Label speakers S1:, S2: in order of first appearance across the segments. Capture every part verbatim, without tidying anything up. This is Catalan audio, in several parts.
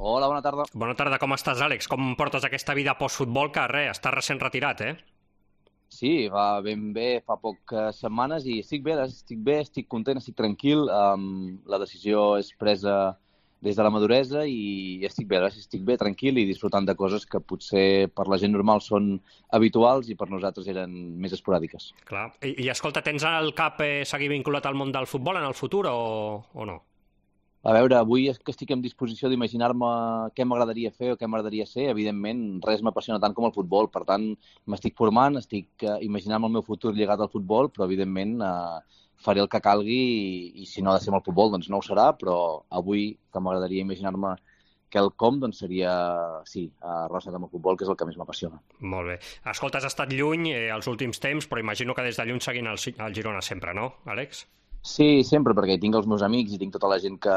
S1: Hola, bona tarda.
S2: Bona tarda, com estàs, Àlex? Com portes aquesta vida post-futbol que, res, estàs recent retirat, eh?
S1: Sí, va ben bé fa poques setmanes i estic bé, estic bé, estic content, estic tranquil. Um, la decisió és presa des de la maduresa i estic bé, estic bé, tranquil i disfrutant de coses que potser per la gent normal són habituals i per nosaltres eren més esporàdiques.
S2: Clar. I, i escolta, tens al cap eh, seguir vinculat al món del futbol en el futur o, o no?
S1: A veure, avui és que estic en disposició d'imaginar-me què m'agradaria fer o què m'agradaria ser. Evidentment, res m'apassiona tant com el futbol. Per tant, m'estic formant, estic eh, imaginant el meu futur lligat al futbol, però evidentment eh, faré el que calgui i, i si no ha de ser amb el futbol, doncs no ho serà, però avui que m'agradaria imaginar-me que el com, doncs seria, sí, eh, relacionat amb el futbol, que és el que més m'apassiona.
S2: Molt bé. Escolta, has estat lluny eh, els últims temps, però imagino que des de lluny seguint el, el Girona sempre, no, Àlex?
S1: Sí, sempre, perquè hi tinc els meus amics i tinc tota la gent que,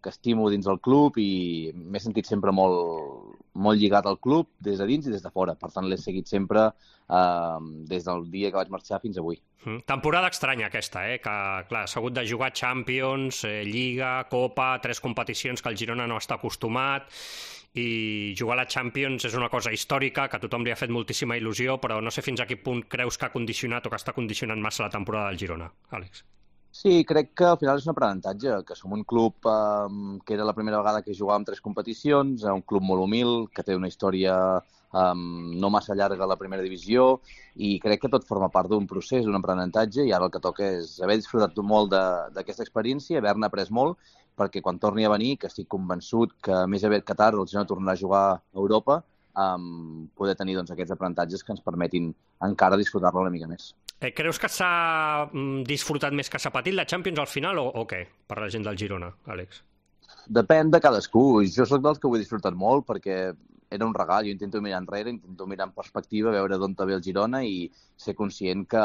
S1: que estimo dins del club i m'he sentit sempre molt, molt lligat al club des de dins i des de fora. Per tant, l'he seguit sempre eh, des del dia que vaig marxar fins avui.
S2: Mm. Temporada estranya aquesta, eh? Que, clar, s'ha hagut de jugar Champions, eh, Lliga, Copa, tres competicions que el Girona no està acostumat i jugar a la Champions és una cosa històrica que a tothom li ha fet moltíssima il·lusió, però no sé fins a quin punt creus que ha condicionat o que està condicionant massa la temporada del Girona, Àlex.
S1: Sí, crec que al final és un aprenentatge, que som un club eh, que era la primera vegada que jugàvem tres competicions, un club molt humil, que té una història eh, no massa llarga a la primera divisió, i crec que tot forma part d'un procés, d'un aprenentatge, i ara el que toca és haver disfrutat molt d'aquesta experiència, haver-ne après molt, perquè quan torni a venir, que estic convençut que més aviat que tard el Girona tornarà a jugar a Europa, um, poder tenir doncs, aquests aprenentatges que ens permetin encara disfrutar-la una mica més.
S2: Eh, creus que s'ha mm, disfrutat més que s'ha patit la Champions al final o, o què, per la gent del Girona, Àlex?
S1: Depèn de cadascú. Jo sóc dels que ho he disfrutat molt perquè era un regal. Jo intento mirar enrere, intento mirar en perspectiva, veure d'on ve el Girona i ser conscient que,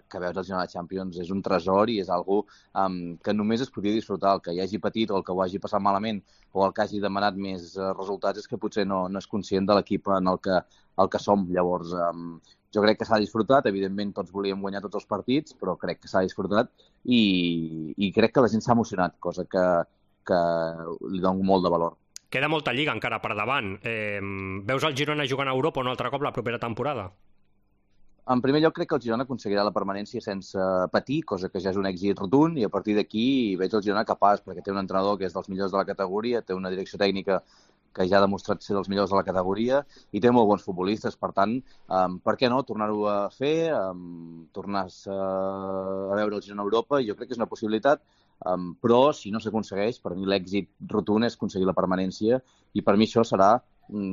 S1: que veure el Girona de Champions és un tresor i és algo um, que només es podia disfrutar. El que hi hagi patit o el que ho hagi passat malament o el que hagi demanat més uh, resultats és que potser no, no és conscient de l'equip en el que, el que som. Llavors, um, jo crec que s'ha disfrutat. Evidentment, tots volíem guanyar tots els partits, però crec que s'ha disfrutat i, i crec que la gent s'ha emocionat, cosa que que li dono molt de valor.
S2: Queda molta lliga encara per davant. Eh, veus el Girona jugant a Europa un altre cop la propera temporada?
S1: En primer lloc, crec que el Girona aconseguirà la permanència sense patir, cosa que ja és un èxit rotund, i a partir d'aquí veig el Girona capaç, perquè té un entrenador que és dels millors de la categoria, té una direcció tècnica que ja ha demostrat ser dels millors de la categoria i té molt bons futbolistes. Per tant, um, per què no tornar-ho a fer, um, tornar a veure el Girona a Europa, jo crec que és una possibilitat, um, però si no s'aconsegueix, per mi l'èxit rotund és aconseguir la permanència i per mi això serà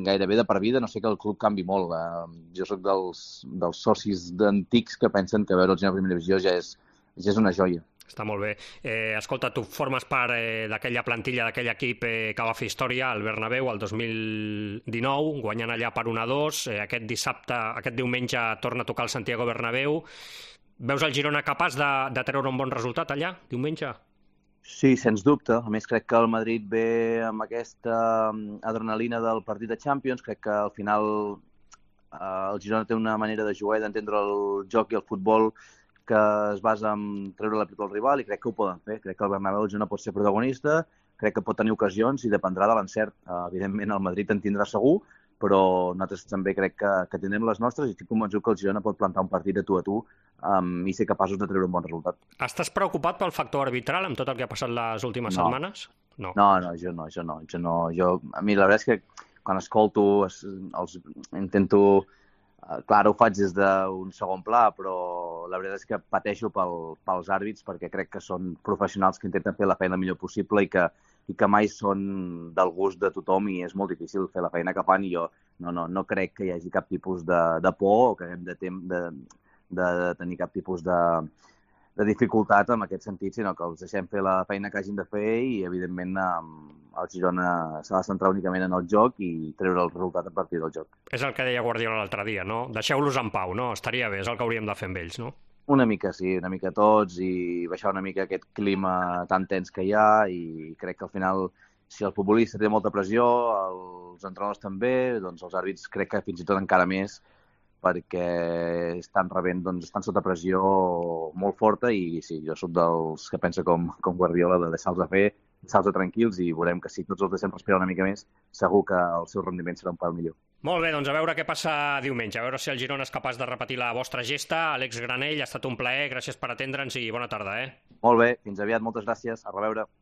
S1: gairebé de per vida, no sé que el club canvi molt. Uh, jo sóc dels, dels socis antics que pensen que veure el Girona a primera divisió ja és, ja és una joia.
S2: Està molt bé. Eh, escolta, tu formes part eh, d'aquella plantilla, d'aquell equip eh, que va fer història al Bernabéu el dos mil dinou, guanyant allà per un a dos. Eh, aquest dissabte, aquest diumenge torna a tocar el Santiago Bernabéu. Veus el Girona capaç de, de treure un bon resultat allà, diumenge?
S1: Sí, sens dubte. A més, crec que el Madrid ve amb aquesta adrenalina del partit de Champions. Crec que al final eh, el Girona té una manera de jugar i d'entendre el joc i el futbol que es basa en treure la pipa al rival i crec que ho poden fer. Crec que el Bernabéu no pot ser protagonista, crec que pot tenir ocasions i dependrà de l'encert. Uh, evidentment, el Madrid en tindrà segur, però nosaltres també crec que, que tindrem les nostres i estic convençut que el Girona pot plantar un partit de tu a tu um, i ser capaços de treure un bon resultat.
S2: Estàs preocupat pel factor arbitral amb tot el que ha passat les últimes
S1: no.
S2: setmanes?
S1: No. no, no, jo no, jo no. Jo no jo, a mi la veritat és que quan escolto els, els intento... Clar, ho faig des d'un segon pla, però la veritat és que pateixo pel, pels àrbits perquè crec que són professionals que intenten fer la feina el millor possible i que, i que mai són del gust de tothom i és molt difícil fer la feina que fan i jo no, no, no crec que hi hagi cap tipus de, de por o que haguem de, tem, de, de tenir cap tipus de, de dificultat en aquest sentit, sinó que els deixem fer la feina que hagin de fer i, evidentment, el Girona s'ha de centrar únicament en el joc i treure el resultat a partir del joc.
S2: És el que deia Guardiola l'altre dia, no? Deixeu-los en pau, no? Estaria bé, és el que hauríem de fer amb ells, no?
S1: Una mica, sí, una mica tots i baixar una mica aquest clima tan tens que hi ha i crec que al final, si el futbolista té molta pressió, els entrenadors també, doncs els àrbits crec que fins i tot encara més perquè estan rebent, doncs estan sota pressió molt forta i sí, jo soc dels que pensa com, com Guardiola de deixar-los a fer salts tranquils i veurem que si tots els deixem respirar una mica més, segur que el seu rendiment serà un pèl millor.
S2: Molt bé, doncs a veure què passa diumenge, a veure si el Girona és capaç de repetir la vostra gesta. Àlex Granell, ha estat un plaer, gràcies per atendre'ns i bona tarda, eh?
S1: Molt bé, fins aviat, moltes gràcies, a reveure.